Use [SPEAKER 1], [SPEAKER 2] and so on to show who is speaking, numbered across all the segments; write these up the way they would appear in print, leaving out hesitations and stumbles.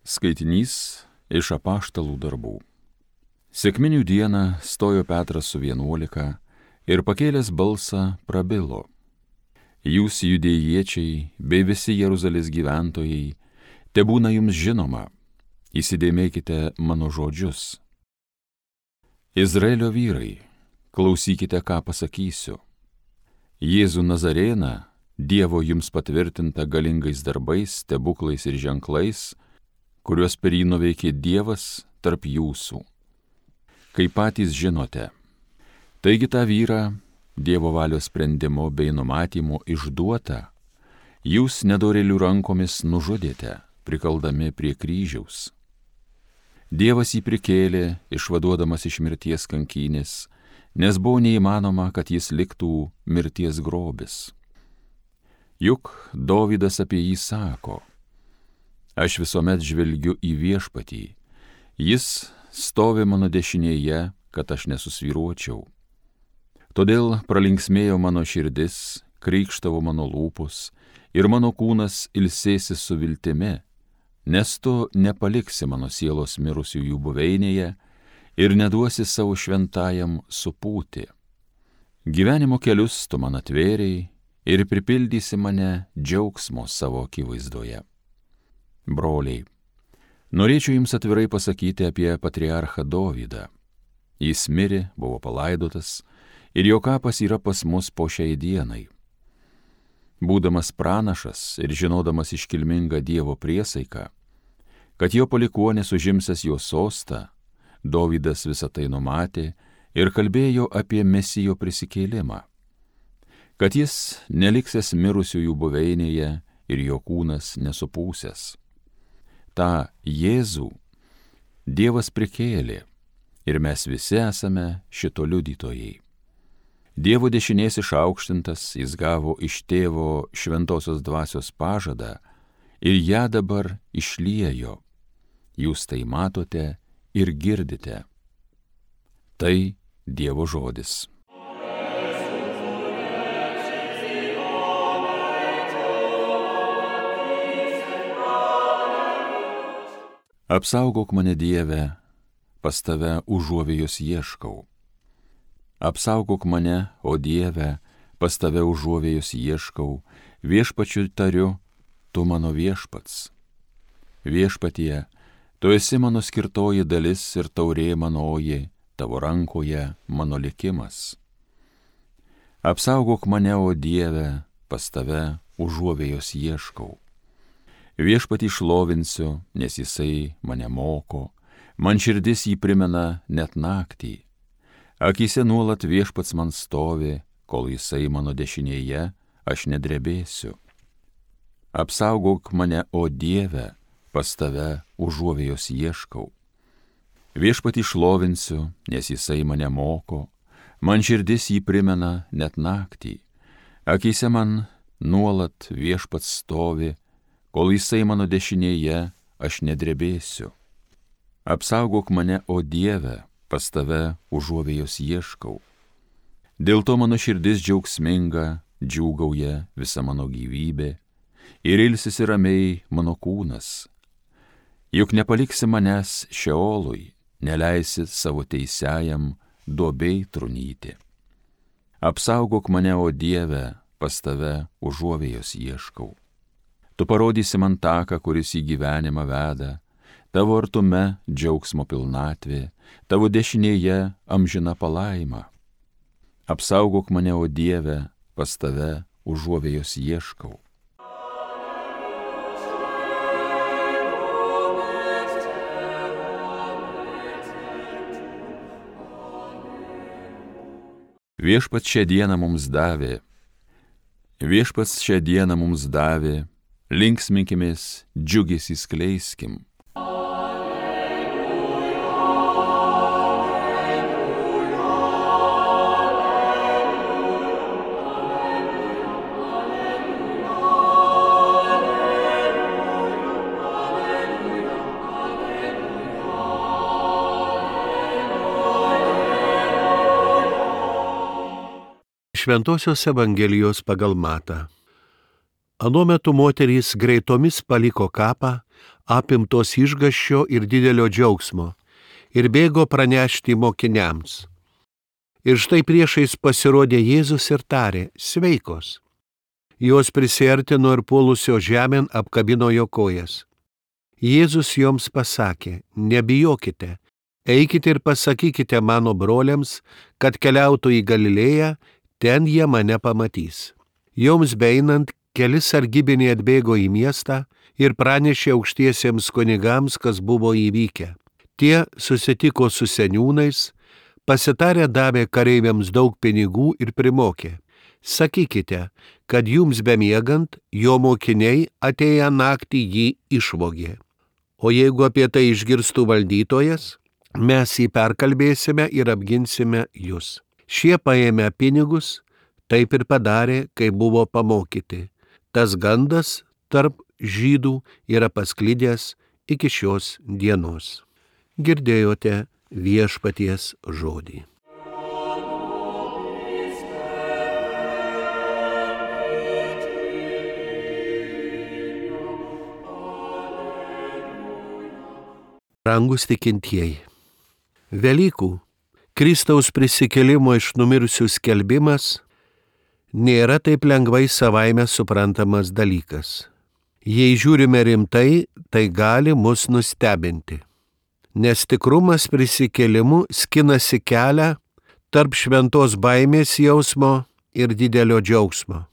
[SPEAKER 1] Skaitinys iš Apaštalų darbų. Sekminių dieną stojo Petras su 11 ir pakėlęs balsą prabilo: Jūs, judėjiečiai, bei visi Jeruzalės gyventojai, tebūna jums žinoma, įsidėmėkite mano žodžius. Izraelio vyrai, klausykite, ką pasakysiu. Jėzų Nazarėną, Dievo jums patvirtinta galingais darbais, stebuklais ir ženklais, kuriuos per jį nuveikė Dievas tarp jūsų, kaip patys žinote. Taigi tą vyrą, Dievo valios sprendimo bei numatymo išduotą, jūs nedorėlių rankomis nužudėte, prikaldami prie kryžiaus. Dievas jį prikėlė, išvaduodamas iš mirties kankynės, nes buvo neįmanoma, kad jis liktų mirties grobis. Juk Dovydas apie jį sako: Aš visuomet žvelgiu į Viešpatį, jis stovi mano dešinėje, kad aš nesusvyruočiau. Todėl pralinksmėjo mano širdis, krykštavo mano lūpos ir mano kūnas ilsėsis su viltimi, nes tu nepaliksi mano sielos mirusiųjų buveinėje ir neduosi savo šventajam supūti. Gyvenimo kelius tu man atvėrei ir pripildysi mane džiaugsmo savo akivaizdoje. Broliai, norėčiau jums atvirai pasakyti apie patriarchą Dovydą. Jis mirė, buvo palaidotas ir jo kapas yra pas mus po šiai dienai. Būdamas pranašas ir žinodamas iškilmingą Dievo priesaiką, kad jo palikuonis užimsęs jo sostą, Dovydas visą tai numatė ir kalbėjo apie Mesijo prisikėlimą, kad jis neliksęs mirusiųjų buveinėje ir jo kūnas nesupūsęs. Ta Jėzų Dievas prikėlė ir mes visi esame šito liudytojai. Dievo dešinės išaukštintas, jis gavo iš Tėvo šventosios dvasios pažadą ir ją dabar išliejo. Jūs tai matote ir girdite. Tai Dievo žodis. Apsaugok mane, Dieve, pas tave užuovėjos ieškau. Apsaugok mane, o Dieve, pas tave užuovėjos ieškau, viešpačiu tariu, tu mano viešpats. Viešpatie, tu esi mano skirtoji dalis ir taurė manoji, tavo rankoje mano likimas. Apsaugok mane, o Dieve, pas tave užuovėjos ieškau. Viešpatį šlovinsiu, nes jisai mane moko, man širdis jį primena net naktį. Akyse nuolat Viešpats man stovi, kol jisai mano dešinėje, aš nedrebėsiu. Apsaugok mane, o Dieve, pas tave užuovėjos ieškau. Viešpatį šlovinsiu, nes jisai mane moko, man širdis jį primena net naktį. Akyse man nuolat Viešpats stovi, kol jisai mano dešinėje, aš nedrebėsiu. Apsaugok mane, o Dieve, pas tave užuovėjos ieškau. Dėl to mano širdis džiaugsminga, džiūgauja visa mano gyvybė ir ilsisi ramiai mano kūnas. Juk nepaliksi manęs šeolui, neleisi savo teisiajam duobei trunyti. Apsaugok mane, o Dieve, pas tave užuovėjos ieškau. Tu parodysi man taką, kuris į gyvenimą veda, tavo artume džiaugsmo pilnatvė, tavo dešinėje amžina palaima. Apsaugok mane, o Dieve, pas tave užuovėjos ieškau. Viešpats šią dieną mums davė, linksminkimės, džiugesį skleiskim.
[SPEAKER 2] Šventosios Evangelijos pagal Matą. Anuo metu moterys greitomis paliko kapą, apimtos išgąsčio ir didelio džiaugsmo, ir bėgo pranešti mokiniams. Ir štai priešais pasirodė Jėzus ir tarė: sveikos. Jos prisiartino ir puolusio žemėn apkabino jo kojas. Jėzus joms pasakė: nebijokite, eikite ir pasakykite mano broliams, kad keliautų į Galilėją, ten jie mane pamatys. Joms beeinant, keli sargybiniai atbėgo į miestą ir pranešė aukštiesiems kunigams, kas buvo įvykę. Tie susitiko su seniūnais, pasitarę davė kareiviams daug pinigų ir primokė: sakykite, kad jums bemiegant, jo mokiniai atėję naktį jį išvogė. O jeigu apie tai išgirstų valdytojas, mes jį perkalbėsime ir apginsime jūs. Šie paėmė pinigus, taip ir padarė, kai buvo pamokyti. Tas gandas tarp žydų yra pasklidęs iki šios dienos. Girdėjote viešpaties žodį. Brangus tikintieji, Velykų, Kristaus prisikėlimo iš numirusių skelbimas nėra taip lengvai savaime suprantamas dalykas. Jei žiūrime rimtai, tai gali mus nustebinti, nes tikrumas prisikėlimu skinasi kelią tarp šventos baimės jausmo ir didelio džiaugsmo.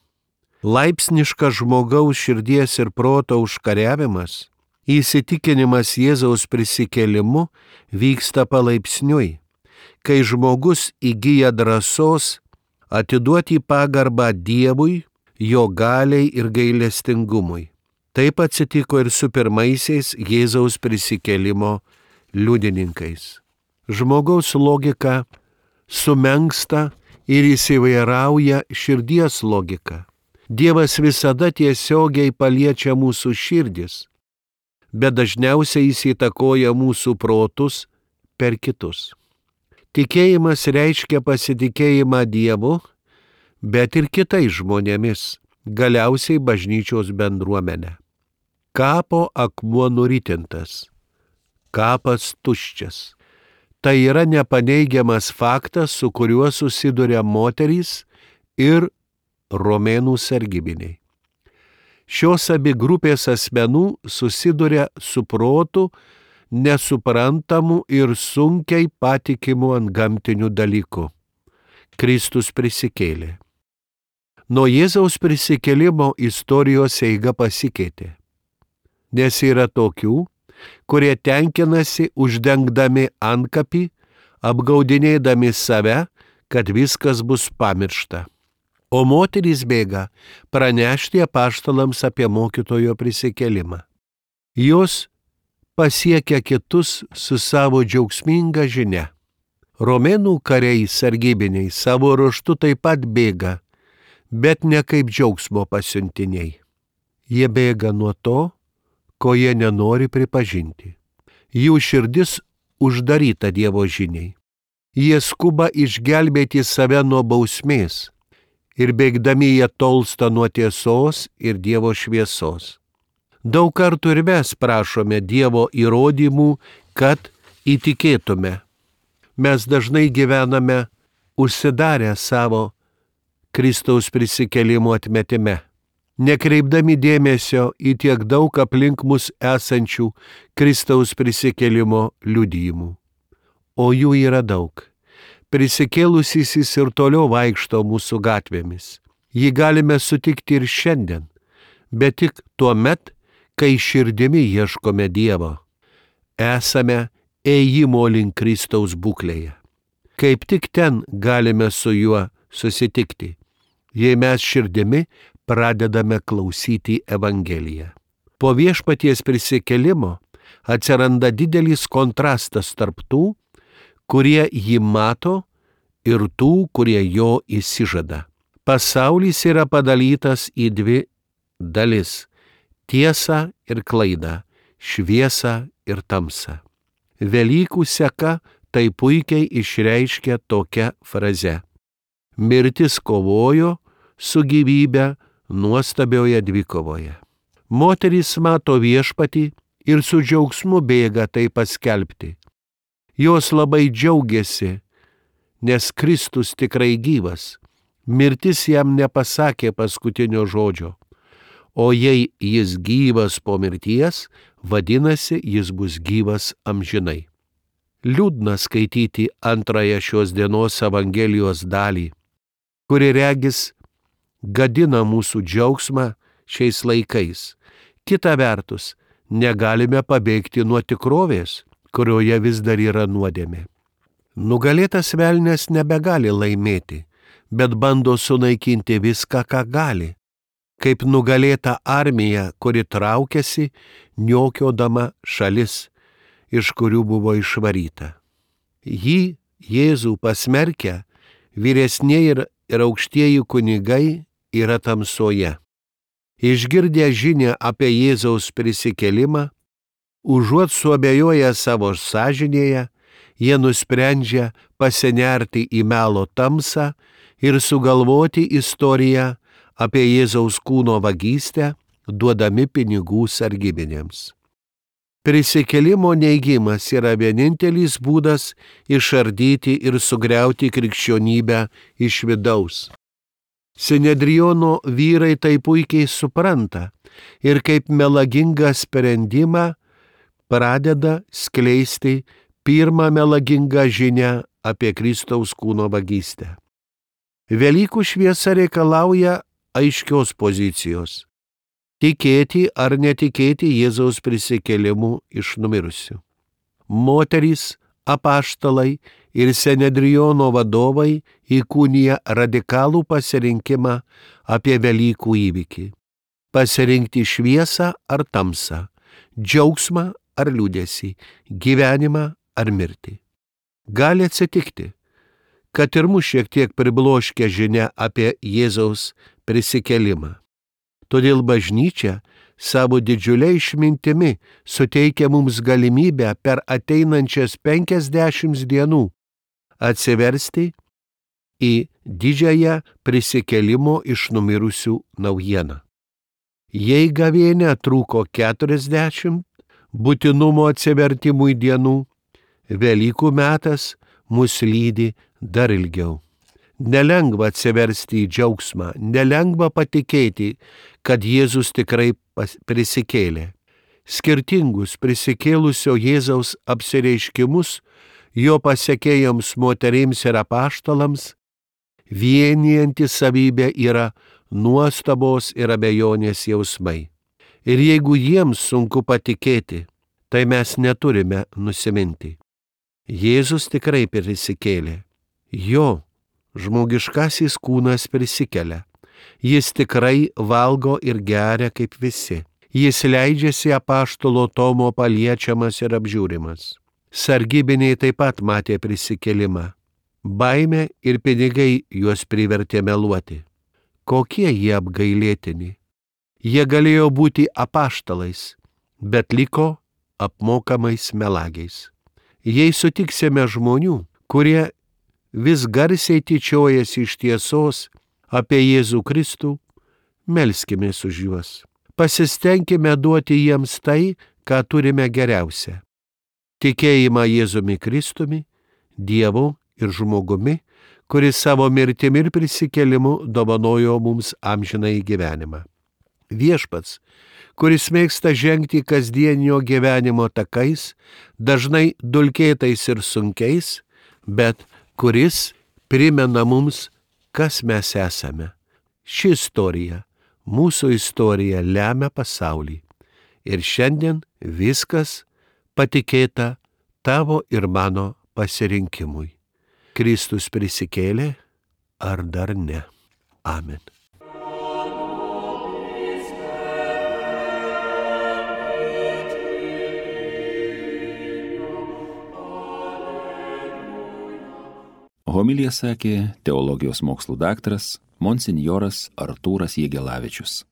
[SPEAKER 2] Laipsniškas žmogaus širdies ir proto užkariavimas, įsitikinimas Jėzaus prisikėlimu vyksta palaipsniui, kai žmogus įgyja drąsos atiduoti pagarbą Dievui, jo galiai ir gailestingumui. Taip atsitiko ir su pirmaisiais Jėzaus prisikėlimo liudininkais. Žmogaus logika sumenksta ir įsivairauja širdies logika. Dievas visada tiesiogiai paliečia mūsų širdis, bet dažniausiai jis įtakoja mūsų protus per kitus. Tikėjimas reiškia pasitikėjimą Dievu, bet ir kitais žmonėmis, galiausiai bažnyčios bendruomenę. Kapo akmuo nuritintas, kapas tuščias. Tai yra nepaneigiamas faktas, su kuriuo susiduria moterys ir romėnų sargybiniai. Šios abi grupės asmenų susiduria su protu nesuprantamu ir sunkiai patikimu antgamtiniu dalyku. Kristus prisikėlė. Nuo Jėzaus prisikėlimo istorijos eiga pasikeitė, nes yra tokių, kurie tenkinasi uždengdami antkapį, apgaudinėdami save, kad viskas bus pamiršta. O moterys bėga pranešti apaštalams apie mokytojo prisikėlimą. Jos pasiekia kitus su savo džiaugsminga žinia. Romėnų kariai sargybiniai savo ruožtu taip pat bėga, bet ne kaip džiaugsmo pasiuntiniai. Jie bėga nuo to, ko jie nenori pripažinti. Jų širdis uždaryta Dievo žiniai. Jie skuba išgelbėti save nuo bausmės ir bėgdami jie tolsta nuo tiesos ir Dievo šviesos. Daug kartų ir mes prašome Dievo įrodymų, kad įtikėtume. Mes dažnai gyvename užsidarę savo Kristaus prisikėlimo atmetime, nekreipdami dėmesio į tiek daug aplink mus esančių Kristaus prisikėlimo liudijimų. O jų yra daug. Prisikėlusysis ir toliau vaikšto mūsų gatvėmis. Jį galime sutikti ir šiandien, bet tik tuo met, kai širdimi ieškome Dievo. Esame ėjimo link Kristaus būklėje. Kaip tik ten galime su juo susitikti, jei mes širdimi pradedame klausyti Evangeliją. Po viešpaties prisikėlimo atsiranda didelis kontrastas tarp tų, kurie jį mato, ir tų, kurie jo įsižada. Pasaulis yra padalytas į dvi dalis – tiesą ir klaidą, šviesą ir tamsą. Velykų seka tai puikiai išreiškia tokia fraze: mirtis kovojo su gyvybe nuostabioje dvikovoje. Moterys mato viešpatį ir su džiaugsmu bėga tai paskelbti. Jos labai džiaugiasi, nes Kristus tikrai gyvas. Mirtis jam nepasakė paskutinio žodžio. O jei jis gyvas po mirties, vadinasi, jis bus gyvas amžinai. Liūdna skaityti antrąją šios dienos Evangelijos dalį, kuri regis gadina mūsų džiaugsmą šiais laikais. Kita vertus, negalime pabėgti nuo tikrovės, kurioje vis dar yra nuodėmė. Nugalėtas velnias nebegali laimėti, bet bando sunaikinti viską, ką gali, kaip nugalėta armija, kuri traukiasi, niokiodama šalis, iš kurių buvo išvaryta. Jį, Jėzų pasmerkę, vyresnieji ir aukštieji kunigai yra tamsoje. Išgirdę žinią apie Jėzaus prisikėlimą, užuot suabejoję savo sąžinėje, jie nusprendžia pasinerti į melo tamsą ir sugalvoti istoriją apie Jėzaus kūno vagystę, duodami pinigų sargybiniams. Prisikėlimo neigimas yra vienintelis būdas išardyti ir sugriauti krikščionybę iš vidaus. Sinedriono vyrai tai puikiai supranta ir kaip melagingą sprendimą pradeda skleisti pirmą melagingą žinią apie Kristaus kūno vagystę. Velykų šviesa reikalauja aiškios pozicijos. Tikėti ar netikėti Jėzaus prisikėlimu iš numirusių. Moterys, apaštalai ir Sinedriono vadovai įkūnija radikalų pasirinkimą apie Velykų įvykį. Pasirinkti šviesą ar tamsą, džiaugsmą ar liūdesį, gyvenimą ar mirtį. Gali atsitikti, kad ir mus šiek tiek pribloškia žinia apie Jėzaus prisikėlimą. Todėl bažnyčia savo didžiulę išmintimi suteikia mums galimybę per ateinančias 50 dienų atsiversti į didžiąją prisikėlimo iš numirusių naujieną. Jei gavėnia trūko 40 būtinumo atsivertimui dienų, Velykų metas mus lydi dar ilgiau. Nelengva atsiversti į džiaugsmą, nelengva patikėti, kad Jėzus tikrai prisikėlė. Skirtingus prisikėlusio Jėzaus apsireiškimus jo pasekėjams moterims ir apaštalams vienijanti savybė yra nuostabos ir abejonės jausmai. Ir jeigu jiems sunku patikėti, tai mes neturime nusiminti. Jėzus tikrai prisikėlė. Jo žmogiškasis kūnas prisikelia. Jis tikrai valgo ir geria kaip visi. Jis leidžiasi apaštalo Tomo paliečiamas ir apžiūrimas. Sargybiniai taip pat matė prisikėlimą. Baimė ir pinigai juos privertė meluoti. Kokie jie apgailėtini. Jie galėjo būti apaštalais, bet liko apmokamais melagiais. Jei sutiksime žmonių, kurie vis garsiai tyčiojasi iš tiesos apie Jėzų Kristų, melskimės už juos. Pasistengime duoti jiems tai, ką turime geriausia. Tikėjimą Jėzumi Kristumi, Dievu ir žmogumi, kuris savo mirtimi ir prisikėlimu dovanojo mums amžinąjį gyvenimą. Viešpats, kuris mėgsta žengti kasdienio gyvenimo takais, dažnai dulkėtais ir sunkiais, bet kuris primena mums, kas mes esame. Ši istorija, mūsų istorija lemia pasaulį. Ir šiandien viskas patikėta tavo ir mano pasirinkimui. Kristus prisikėlė ar dar ne? Amen.
[SPEAKER 1] Homiliją sakė teologijos mokslų daktaras monsinjoras Artūras Jegelavičius.